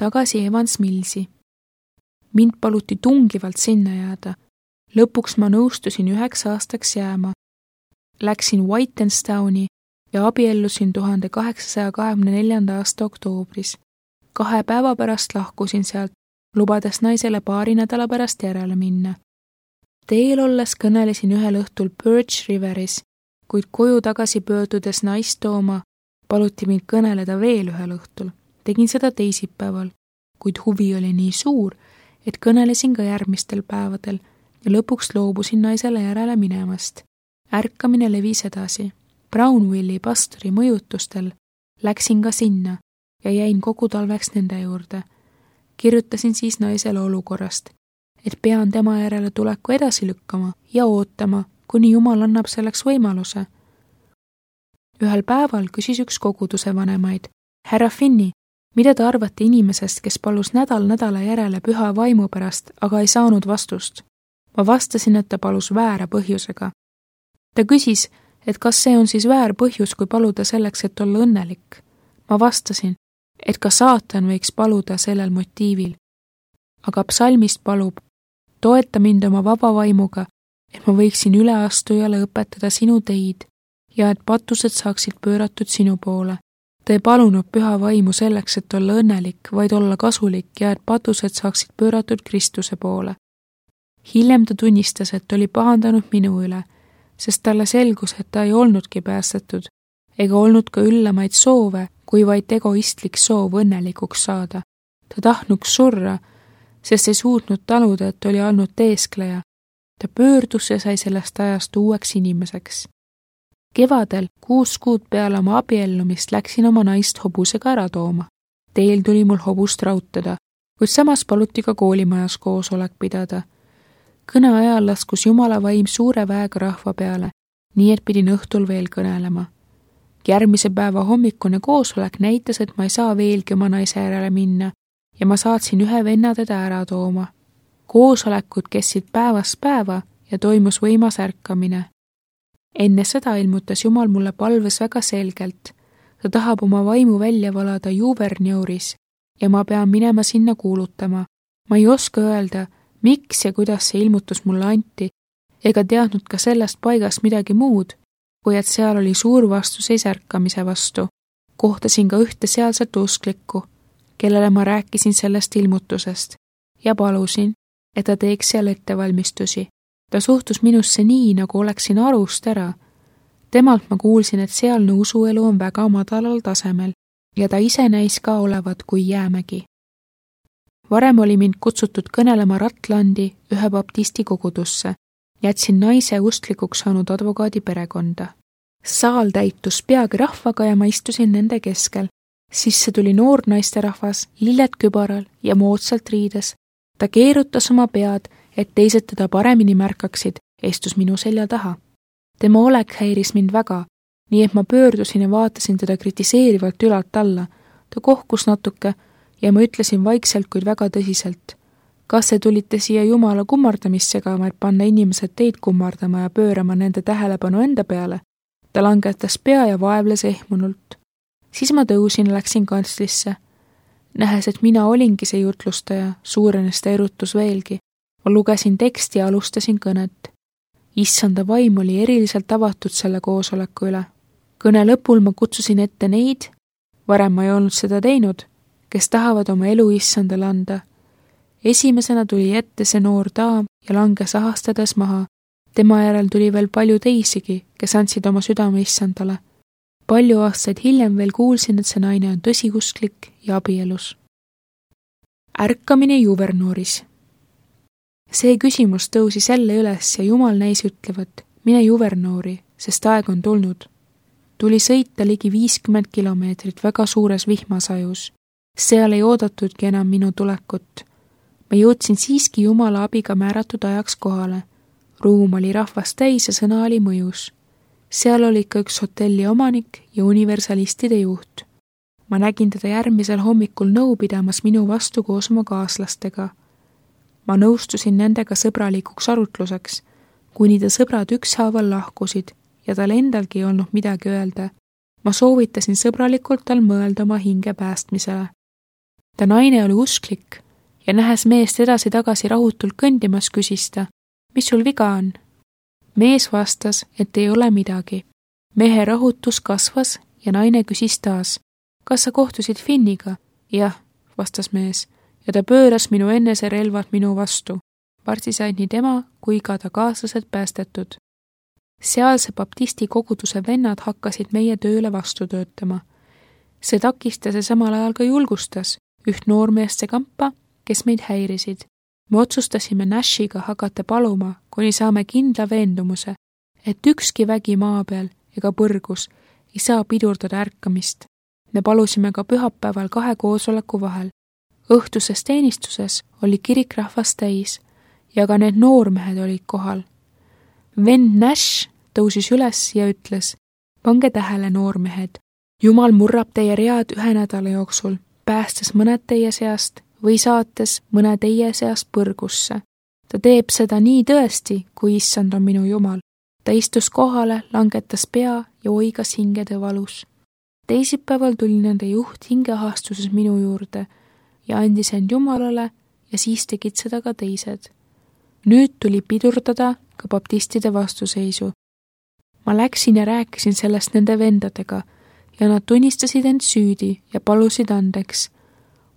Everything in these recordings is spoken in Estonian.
tagasi Evans Millsi. Mind paluti tungivalt sinna jääda. Lõpuks ma nõustusin 9 aastaks jääma. Läksin Whitenstowni ja abiellusin 1824. aasta oktoobris. 2 päeva pärast lahkusin sealt, lubades naisele 2 nädala pärast järele minna. Teel olles kõnelesin ühel õhtul Birch Riveris, kuid koju tagasi pöördudes naist tooma paluti mind kõneleda veel ühel õhtul. Tegin seda teisipäeval, kuid huvi oli nii suur, et kõnelesin ka järgmistel päevadel ja lõpuks loobusin naisele järele minemast. Ärkamine levis edasi. Brownvilli pastori mõjutustel läksin ka sinna ja jäin kogu talveks nende juurde. Kirjutasin siis naisele olukorrast, et pean tema järele tuleku edasi lükkama ja ootama, kuni Jumal annab selleks võimaluse. Ühel päeval küsis üks koguduse vanemaid, härra Finney, mida te arvate inimesest, kes palus nädal nädala järele püha vaimu pärast, aga ei saanud vastust? Ma vastasin, et ta palus väära põhjusega. Ta küsis, et kas see on siis väär põhjus, kui paluda selleks, et olla õnnelik. Ma vastasin, et ka saatan võiks paluda sellel motiivil. Aga psalmist palub, toeta mind oma vaba vaimuga, et ma võiksin üleastujale õpetada sinu teid ja et patused saaksid pööratud sinu poole. Ta ei palunud püha vaimu selleks, et olla õnnelik, vaid olla kasulik ja et patused saaksid pööratud Kristuse poole. Hiljem ta tunnistas, et oli pahandanud minu üle, sest talle selgus, et ta ei olnudki päästetud ega olnud ka üllamaid soove, kui vaid egoistlik soov õnnelikuks saada. Ta tahtnuks surra, sest ei suutnud taluda, et oli olnud teeskleja. Ta pöördus ja sai sellest ajast uueks inimeseks. Kevadel 6 kuud peale oma abiellumist läksin oma naist hobusega ära tooma. Teel tuli mul hobust rautada, kuid samas paluti ka koolimajas koosolek pidada. Kõne ajal laskus Jumala vaim suure väega rahva peale, nii et pidin õhtul veel kõnelema. Järgmise päeva hommikune koosolek näitas, et ma ei saa veelgi oma naise järele minna ja ma saatsin ühe venna teda ära tooma. Koosolekud kestsid päevast päeva ja toimus võimas ärkamine. Enne seda ilmutas Jumal mulle palves väga selgelt. Ta tahab oma vaimu välja valada Juverneuris ja ma pean minema sinna kuulutama. Ma ei oska öelda, miks ja kuidas see ilmutus mulle anti, ega teadnud ka sellest paigast midagi muud, kui et seal oli suur vastuseis ärkamise vastu. Kohtasin ka ühte sealset usklikku, kellele ma rääkisin sellest ilmutusest ja palusin, et ta teeks seal ettevalmistusi. Ta suhtus minusse nii, nagu oleksin arust ära. Temalt ma kuulsin, et sealne usuelu on väga madalal tasemel ja ta ise näis ka olevat kui jäämägi. Varem oli mind kutsutud kõnelema Ratlandi ühe baptisti kogudusse. Jätsin naise usklikuks saanud advokaadi perekonda. Saal täitus peagi rahvaga ja ma istusin nende keskel. Sisse tuli noor naisterahvas, lilled kübaral ja moodsalt riides. Ta keerutas oma pead, et teised teda paremini märkaksid, istus minu selja taha. Tema olek häiris mind väga, nii et ma pöördusin ja vaatasin teda kritiseerivalt ülalt alla. Ta kohkus natuke ja ma ütlesin vaikselt, kuid väga tõsiselt. Kas te tulite siia Jumala kummardamist segama, et panna inimesed teid kummardama ja pöörama nende tähelepanu enda peale? Ta langetas pea ja vaevles ehmunult. Siis ma tõusin ja läksin kantslisse. Nähes, et mina olingi see jutlustaja, suurenes ta erutus veelgi. Ma lugesin teksti ja alustasin kõnet. Issanda vaim oli eriliselt avatud selle koosoleku üle. Kõne lõpul ma kutsusin ette neid, varem ma ei olnud seda teinud, kes tahavad oma elu Issandale anda. Esimesena tuli ette see noor daam ja langes ahastades maha. Tema järel tuli veel palju teisigi, kes andsid oma südame Issandale. Palju aastaid hiljem veel kuulsin, et see naine on tõsiusklik ja abielus. Ärkamine Juverneuris. See küsimus tõusis jälle üles ja Jumal näis ütlevat, mine Juverneuri, sest aeg on tulnud. Tuli sõita ligi 50 kilomeetrit väga suures vihmasajus. Seal ei oodatudki enam minu tulekut. Ma jõudsin siiski Jumala abiga määratud ajaks kohale. Ruum oli rahvast täis ja sõna oli mõjus. Seal oli ka üks hotelli omanik ja universalistide juht. Ma nägin teda järgmisel hommikul nõu pidamas minu vastu koos oma kaaslastega. Ma nõustusin nendega sõbralikuks arutluseks, kuni ta sõbrad ükshaaval lahkusid ja tal endalgi ei olnud midagi öelda. Ma soovitasin sõbralikult tal mõelda oma hinge päästmisele. ta naine oli usklik ja nähes meest edasi-tagasi rahutult kõndimas, küsis ta, mis sul viga on? Mees vastas, et ei ole midagi. Mehe rahutus kasvas ja naine küsis taas, kas sa kohtusid Finniga? Jah, vastas mees, ja ta pööras minu eneserelvad minu vastu. Varsti said nii tema kui ka ta kaaslased päästetud. Sealse baptisti koguduse vennad hakkasid meie tööle vastu töötama. See takistas ja samal ajal ka julgustas üht noormeeste kampa, kes meid häirisid. Me otsustasime Nashiga hakata paluma, kuni saame kindla veendumuse, et ükski vägi maa peal ega põrgus ei saa pidurdada ärkamist. Me palusime ka pühapäeval 2 koosoleku vahel. Õhtuses teenistuses oli kirik rahvast täis ja ka need noormehed olid kohal. Vend Nash tõusis üles ja ütles, pange tähele, noormehed, Jumal murrab teie read 1 nädala jooksul, päästes mõned teie seast või saates mõne teie seast põrgusse. Ta teeb seda nii tõesti, kui issand on minu Jumal. Ta istus kohale, langetas pea ja oigas hingede valus. Teisipäeval tuli nende juht hingeahastuses minu juurde ja andis end Jumalale ja siis tegid seda ka teised. Nüüd tuli pidurdada ka baptistide vastuseisu. Ma läksin ja rääkisin sellest nende vendadega ja nad tunnistasid end süüdi ja palusid andeks.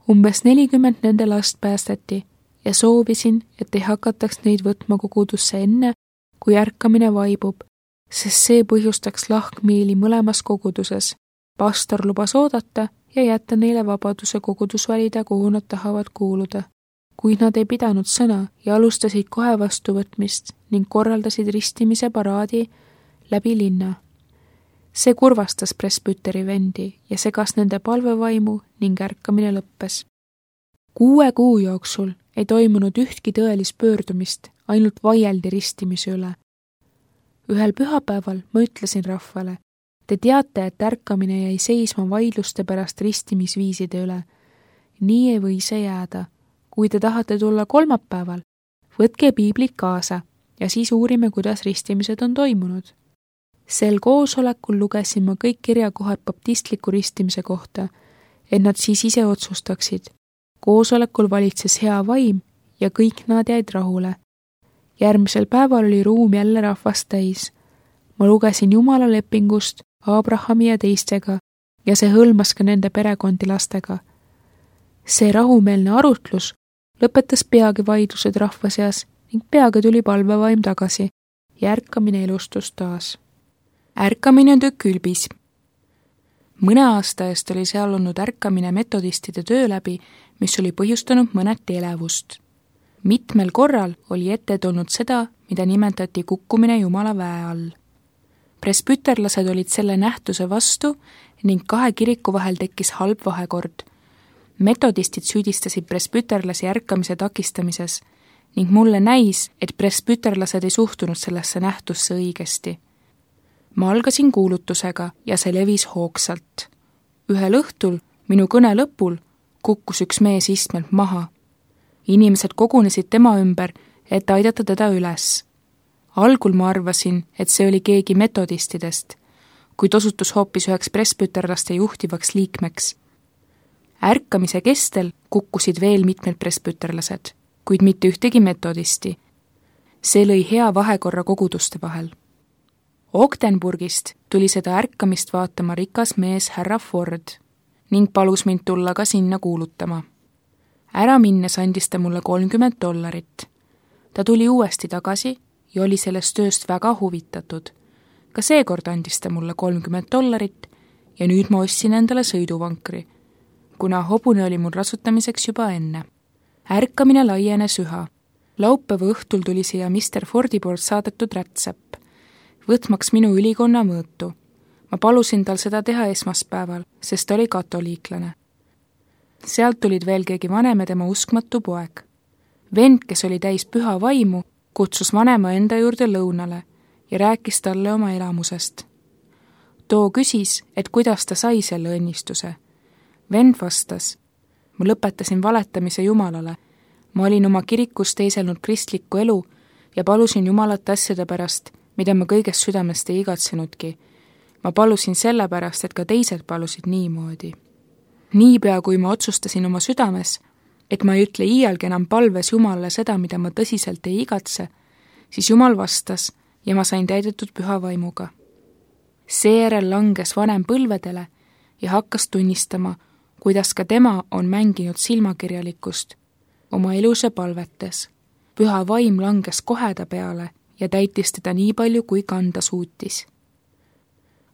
Umbes 40 nende last päästeti ja soovisin, et ei hakataks neid võtma kogudusse enne, kui ärkamine vaibub, sest see põhjustaks lahkmiili mõlemas koguduses. Pastor lubas oodata ja jätta neile vabaduse kogudus valida, kuhu nad tahavad kuuluda. Kuid nad ei pidanud sõna ja alustasid kohe vastuvõtmist ning korraldasid ristimise paraadi läbi linna. See kurvastas presbüteri vendi ja segas nende palvevaimu ning ärkamine lõppes. 6 kuu jooksul ei toimunud ühtki tõelist pöördumist, ainult vaieldi ristimise üle. Ühel pühapäeval ma ütlesin rahvale, te teate, et ärkamine jäi seisma vaidluste pärast ristimisviiside üle. Nii ei või see jääda. Kui te tahate tulla kolmapäeval, võtke piiblid kaasa ja siis uurime, kuidas ristimised on toimunud. Sel koosolekul lugesin ma kõik kirjakohad baptistliku ristimise kohta, et nad siis ise otsustaksid. Koosolekul valitses hea vaim ja kõik nad jäid rahule. Järgmisel päeval oli ruum jälle rahvast täis. Ma lugesin Jumala lepingust Abrahami ja teistega ja see hõlmas ka nende perekondi lastega. See rahumeelne arutlus lõpetas peagi vaidlused rahva seas ning peagi tuli palvevaim tagasi ja ärkamine elustus taas. Ärkamine tükk ülbis. Mõne aasta eest oli seal olnud ärkamine metodistide töö läbi, mis oli põhjustanud mõneti elevust. Mitmel korral oli ette tulnud seda, mida nimetati kukkumine Jumala väe all. Presbüterlased olid selle nähtuse vastu ning 2 kiriku vahel tekkis halb vahekord. Metodistid süüdistasid presbüterlasi ärkamise takistamises ning mulle näis, et presbüterlased ei suhtunud sellesse nähtusse õigesti. Ma algasin kuulutusega ja see levis hoogsalt. Ühel õhtul, minu kõne lõpul, kukkus üks mees istmelt maha. Inimesed kogunesid tema ümber, et aidata teda üles. Algul ma arvasin, et see oli keegi metodistidest, kuid osutus hoopis üheks presbüterlaste juhtivaks liikmeks. Ärkamise kestel kukkusid veel mitmed presbüterlased, kuid mitte ühtegi metodisti. See lõi hea vahekorra koguduste vahel. Ogdenburgist tuli seda ärkamist vaatama rikas mees härra Ford ning palus mind tulla ka sinna kuulutama. Ära minnes andis ta mulle $30. Ta tuli uuesti tagasi ja oli sellest tööst väga huvitatud. Ka seekord andis ta mulle $30 ja nüüd ma ostsin endale sõiduvankri, kuna hobune oli mul rasutamiseks juba enne. Ärkamine laienes üha. Laupäeva õhtul tuli siia Mr. Fordi poolt saadetud rätsepp, võtmaks minu ülikonna mõõtu. Ma palusin tal seda teha esmaspäeval, sest ta oli katoliiklane. Sealt tulid veel keegi vanem ja tema uskmatu poeg. Vend, kes oli täis püha vaimu, kutsus vanema enda juurde lõunale ja rääkis talle oma elamusest. Too küsis, et kuidas ta sai selle õnnistuse. Vend vastas, ma lõpetasin valetamise Jumalale. Ma olin oma kirikus teiselnud kristlikku elu ja palusin Jumalat asjade pärast, mida ma kõigest südamest ei igatsenudki. Ma palusin selle pärast, et ka teised palusid niimoodi. Niipea, kui ma otsustasin oma südames, et ma ei ütle iialgi enam palves Jumalale seda, mida ma tõsiselt ei igatse, siis Jumal vastas ja ma sain täidetud püha vaimuga. Seejärel langes vanem põlvedele ja hakkas tunnistama, kuidas ka tema on mänginud silmakirjalikkust oma elus ja palvetes. Püha vaim langes kohe ta peale ja täitis teda nii palju, kui kanda suutis.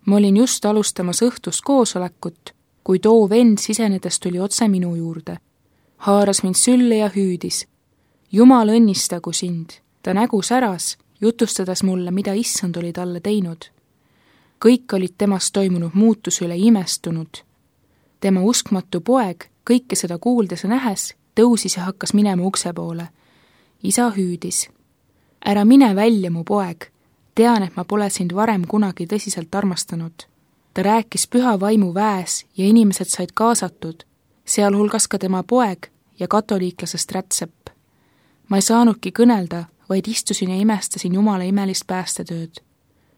Ma olin just alustamas õhtust koosolekut, kui too vend sisenedes tuli otse minu juurde. Haaras mind sülle ja hüüdis. Jumal õnnistagu sind. Ta nägu säras, jutustades mulle, mida issand oli talle teinud. Kõik olid temast toimunud muutus üle imestunud. Tema uskmatu poeg, kõike seda kuuldes ja nähes, tõusis ja hakkas minema ukse poole. Isa hüüdis. Ära mine välja, mu poeg. Tean, et ma pole sind varem kunagi tõsiselt armastanud. Ta rääkis püha vaimu väes ja inimesed said kaasatud, sealhulgas ka tema poeg ja katoliiklasest rätsepp. Ma ei saanudki kõnelda, vaid istusin ja imestasin Jumala imelist päästetööd.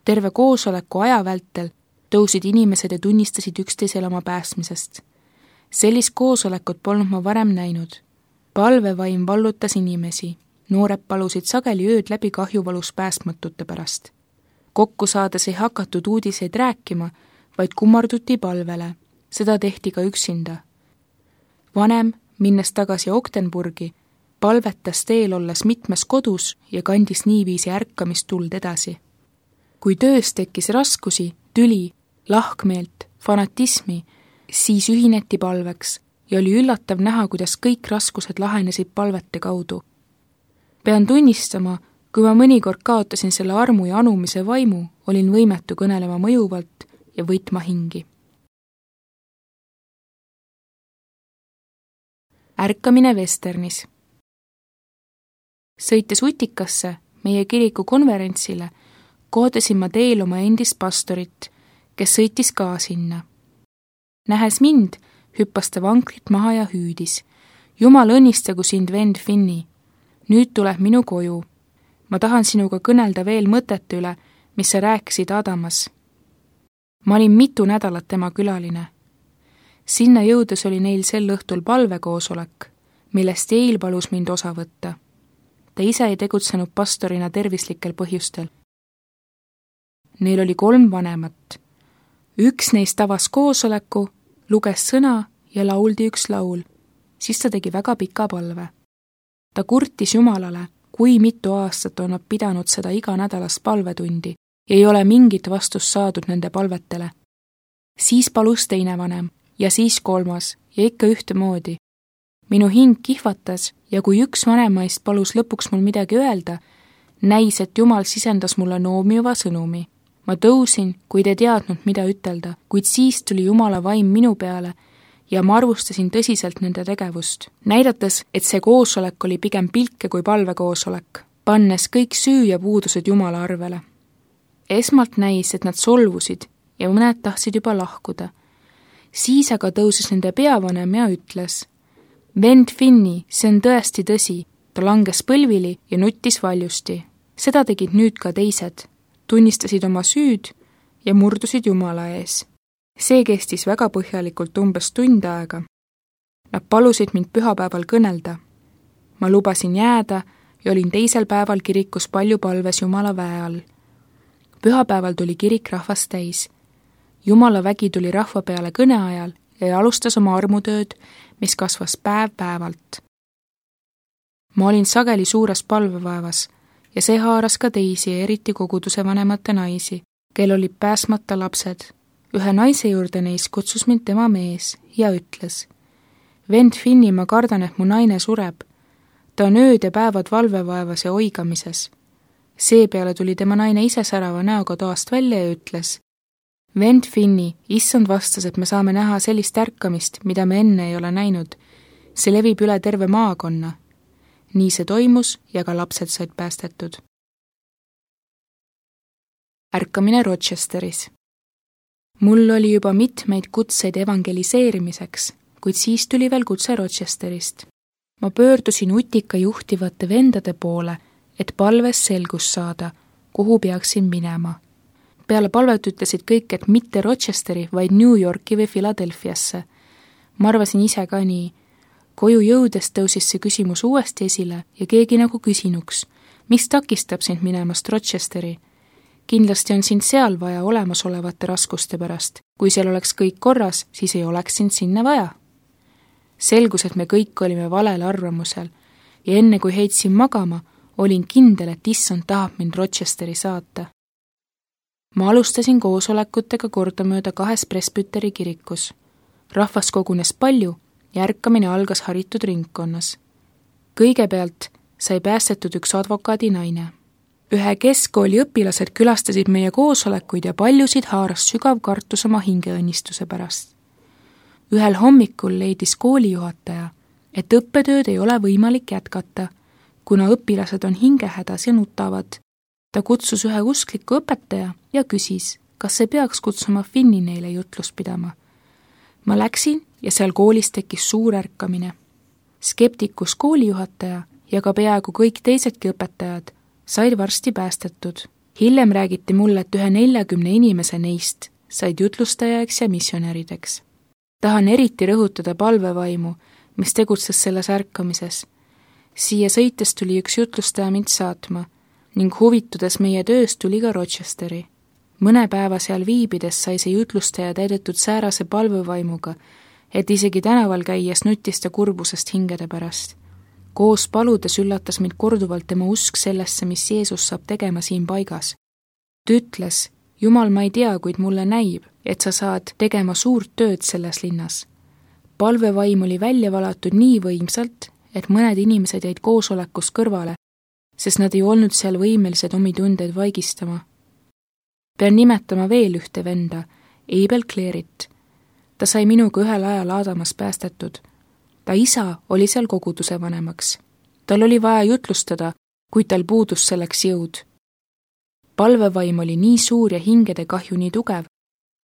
Terve koosoleku aja vältel tõusid inimesed ja tunnistasid üksteisele oma päästmisest. Sellist koosolekut polnud ma varem näinud. Palvevaim vallutas inimesi. Noored palusid sageli ööd läbi kahjuvalus päästmatute pärast. Kokku saades ei hakatud uudiseid rääkima, vaid kummarduti palvele. Seda tehti ka üksinda. Vanem, minnes tagasi Ogdenburgi, palvetas teel olles mitmes kodus ja kandis niiviisi ärkamistuld edasi. Kui töös tekkis raskusi, tüli, lahkmeelt, fanatismi, siis ühineti palveks ja oli üllatav näha, kuidas kõik raskused lahenesid palvete kaudu. Pean tunnistama, kui ma mõnikord kaotasin selle armu ja anumise vaimu, olin võimetu kõnelema mõjuvalt ja võitma hingi. Ärkamine Westernis. Sõites Utikasse, meie kiriku konverentsile, kohtasin ma teel oma endist pastorit, kes sõitis ka sinna. Nähes mind, hüppas ta vankrit maha ja hüüdis. Jumal õnnistagu sind, vend Finni. Nüüd tuleb minu koju. Ma tahan sinuga kõnelda veel mõtete üle, mis sa rääkisid Adamas. Ma olin mitu nädalat tema külaline. Sinna jõudes oli neil sel õhtul palvekoosolek, millest Eil palus mind osa võtta. Ta ise ei tegutsenud pastorina tervislikel põhjustel. Neil oli 3 vanemat. Üks neist avas koosoleku, luges sõna ja lauldi üks laul. Siis ta tegi väga pika palve. Ta kurtis Jumalale, kui mitu aastat on nad pidanud seda iganädalast palvetundi ja ei ole mingit vastust saadud nende palvetele. Siis palus teine vanem ja siis 3. ja ikka ühtemoodi. Minu hing kihvatas ja kui üks vanemaist palus lõpuks mul midagi öelda, näis, et Jumal sisendas mulle noomiva sõnumi. Ma tõusin, kuid ei teadnud, mida ütelda, kuid siis tuli Jumala vaim minu peale ja ma arvustasin tõsiselt nende tegevust, näidates, et see koosolek oli pigem pilke kui palvekoosolek, pannes kõik süü ja puudused Jumala arvele. Esmalt näis, et nad solvusid ja mõned tahtsid juba lahkuda. Siis aga tõusis nende peavanem ja ütles, vend Finni, see on tõesti tõsi. Ta langes põlvili ja nuttis valjusti. Seda tegid nüüd ka teised, tunnistasid oma süüd ja murdusid Jumala ees. See kestis väga põhjalikult umbes tund aega. Nad palusid mind pühapäeval kõnelda. Ma lubasin jääda ja olin teisel päeval kirikus palju palves Jumala väe all. Pühapäeval tuli kirik rahvast täis. Jumala vägi tuli rahva peale kõne ajal ja alustas oma armutööd, mis kasvas päev-päevalt. Ma olin sageli suures palvevaevas ja see haaras ka teisi ja eriti koguduse vanemate naisi, kel olid pääsmata lapsed. Ühe naise juurde neist kutsus mind tema mees ja ütles, vend Finni, ma kardan, et mu naine sureb. Ta on ööd ja päevad valvevaevas ja oigamises. Seepeale tuli tema naine ise särava näoga toast välja ja ütles, vend Finni, issand vastas, et me saame näha sellist ärkamist, mida me enne ei ole näinud. See levib üle terve maakonna. Nii see toimus ja ka lapsed said päästetud. Ärkamine Rochesteris. Mul oli juba mitmeid kutseid evangeliseerimiseks, kuid siis tuli veel kutse Rochesterist. Ma pöördusin Utika juhtivate vendade poole, et palves selgust saada, kuhu peaksin minema. Peale palvet ütlesid kõik, et mitte Rochesteri, vaid New Yorki või Philadelphiasse. Ma arvasin ise ka nii. Koju jõudes tõusis see küsimus uuesti esile ja keegi nagu küsinuks, mis takistab sind minemast Rochesteri? Kindlasti on sind seal vaja olemasolevate raskuste pärast. Kui seal oleks kõik korras, siis ei oleks sind sinna vaja. Selgus, et me kõik olime valel arvamusel ja enne kui heitsin magama, olin kindel, et issand tahab mind Rochesteri saata. Ma alustasin koosolekutega kordamööda 2 presbüteri kirikus. Rahvas kogunes palju ja ärkamine algas haritud ringkonnas. Kõigepealt sai päästetud üks advokaadi naine. Ühe keskkooli õpilased külastasid meie koosolekuid ja paljusid haaras sügav kartus oma hingeõnnistuse pärast. Ühel hommikul leidis koolijuhataja, et õppetööd ei ole võimalik jätkata, kuna õpilased on hingehädas ja nutavad. Ta kutsus ühe uskliku õpetaja ja küsis, kas see peaks kutsuma Finni neile jutlust pidama. Ma läksin ja seal koolis tekkis suur ärkamine. Skeptikus koolijuhataja ja ka peaaegu kõik teisedki õpetajad said varsti päästetud. Hiljem räägiti mulle, et ühe 40 inimese neist said jutlustajaks ja missionärideks. Tahan eriti rõhutada palvevaimu, mis tegutses selles ärkamises. Siia sõites tuli üks jutlustaja mind saatma ning huvitudes meie tööst tuli ka Rochesteri. Mõne päeva seal viibides sai see jutlustaja täidetud säärase palvevaimuga, et isegi tänaval käies nutis ta kurbusest hingede pärast. Koos paludes üllatas mind korduvalt tema usk sellesse, mis Jeesus saab tegema siin paigas. Ta ütles, Jumal, ma ei tea, kuid mulle näib, et sa saad tegema suurt tööd selles linnas. Palvevaim oli välja valatud nii võimsalt, et mõned inimesed jäid koosolekus kõrvale, sest nad ei olnud seal võimelised omi tundeid vaigistama. Pean nimetama veel ühte venda, Abel Claret. Ta sai minuga ühel ajal Aadamas päästetud. Ta isa oli seal koguduse vanemaks. Tal oli vaja jutlustada, kuid tal puudus selleks jõud. Palvevaim oli nii suur ja hingede kahju nii tugev,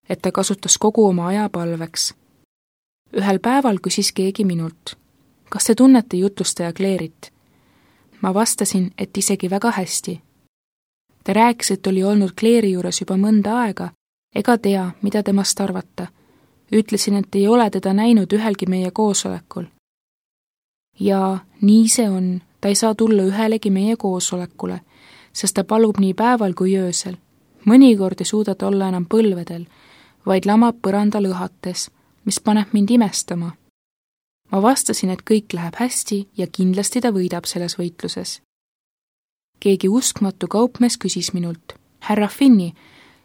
et ta kasutas kogu oma aja palveks. Ühel päeval küsis keegi minult, kas te tunnete jutlustaja Claret? Ma vastasin, et isegi väga hästi. Ta rääkis, et oli olnud Clari juures juba mõnda aega, ega tea, mida temast arvata. Ütlesin, et ei ole teda näinud ühelgi meie koosolekul. Ja nii see on, ta ei saa tulla ühelegi meie koosolekule, sest ta palub nii päeval kui öösel. Mõnikord ei suuda ta olla enam põlvedel, vaid lamab põranda lõhates, mis paneb mind imestama. Ma vastasin, et kõik läheb hästi ja kindlasti ta võidab selles võitluses. Keegi uskmatu kaupmees küsis minult, härra Finni,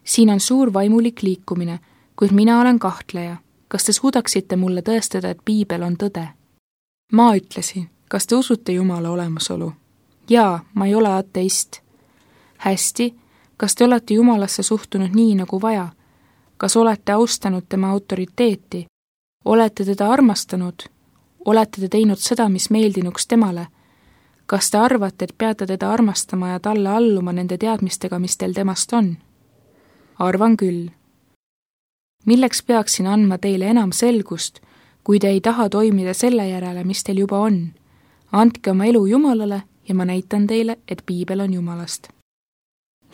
siin on suur vaimulik liikumine, kuid mina olen kahtleja. Kas te suudaksite mulle tõestada, et Piibel on tõde? Ma ütlesin, kas te usute Jumala olemasolu? Jaa, ma ei ole ateist. Hästi, kas te olete Jumalasse suhtunud nii nagu vaja? Kas olete austanud tema autoriteeti? Olete teda armastanud? Olete te teinud seda, mis meeldinuks temale? Kas te arvate, et peate teda armastama ja talle alluma nende teadmistega, mis teil temast on? Arvan küll. Milleks peaksin andma teile enam selgust, kui te ei taha toimida selle järele, mis teil juba on? Andke oma elu Jumalale ja ma näitan teile, et Piibel on Jumalast.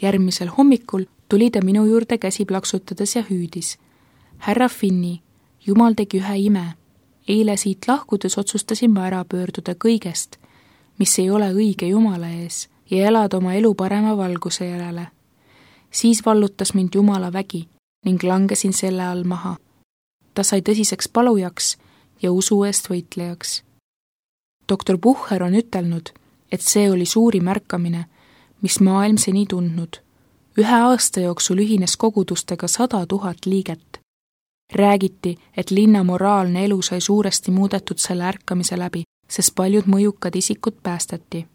Järgmisel hommikul tuli ta minu juurde käsi plaksutades ja hüüdis. Härra Finni, Jumal tegi ühe ime. Eile siit lahkudes otsustasin ma ära pöörduda kõigest, mis ei ole õige Jumala ees ja elada oma elu parema valguse järele. Siis vallutas mind Jumala vägi ning langesin selle all maha. Ta sai tõsiseks palujaks ja usu eest võitlejaks. Doktor Bucher on ütelnud, et see oli suurim ärkamine, mis maailm seni tundnud. 1 aasta jooksul ühines kogudustega 100 000 liiget. Räägiti, et linna moraalne elu sai suuresti muudetud selle ärkamise läbi, sest paljud mõjukad isikud päästeti.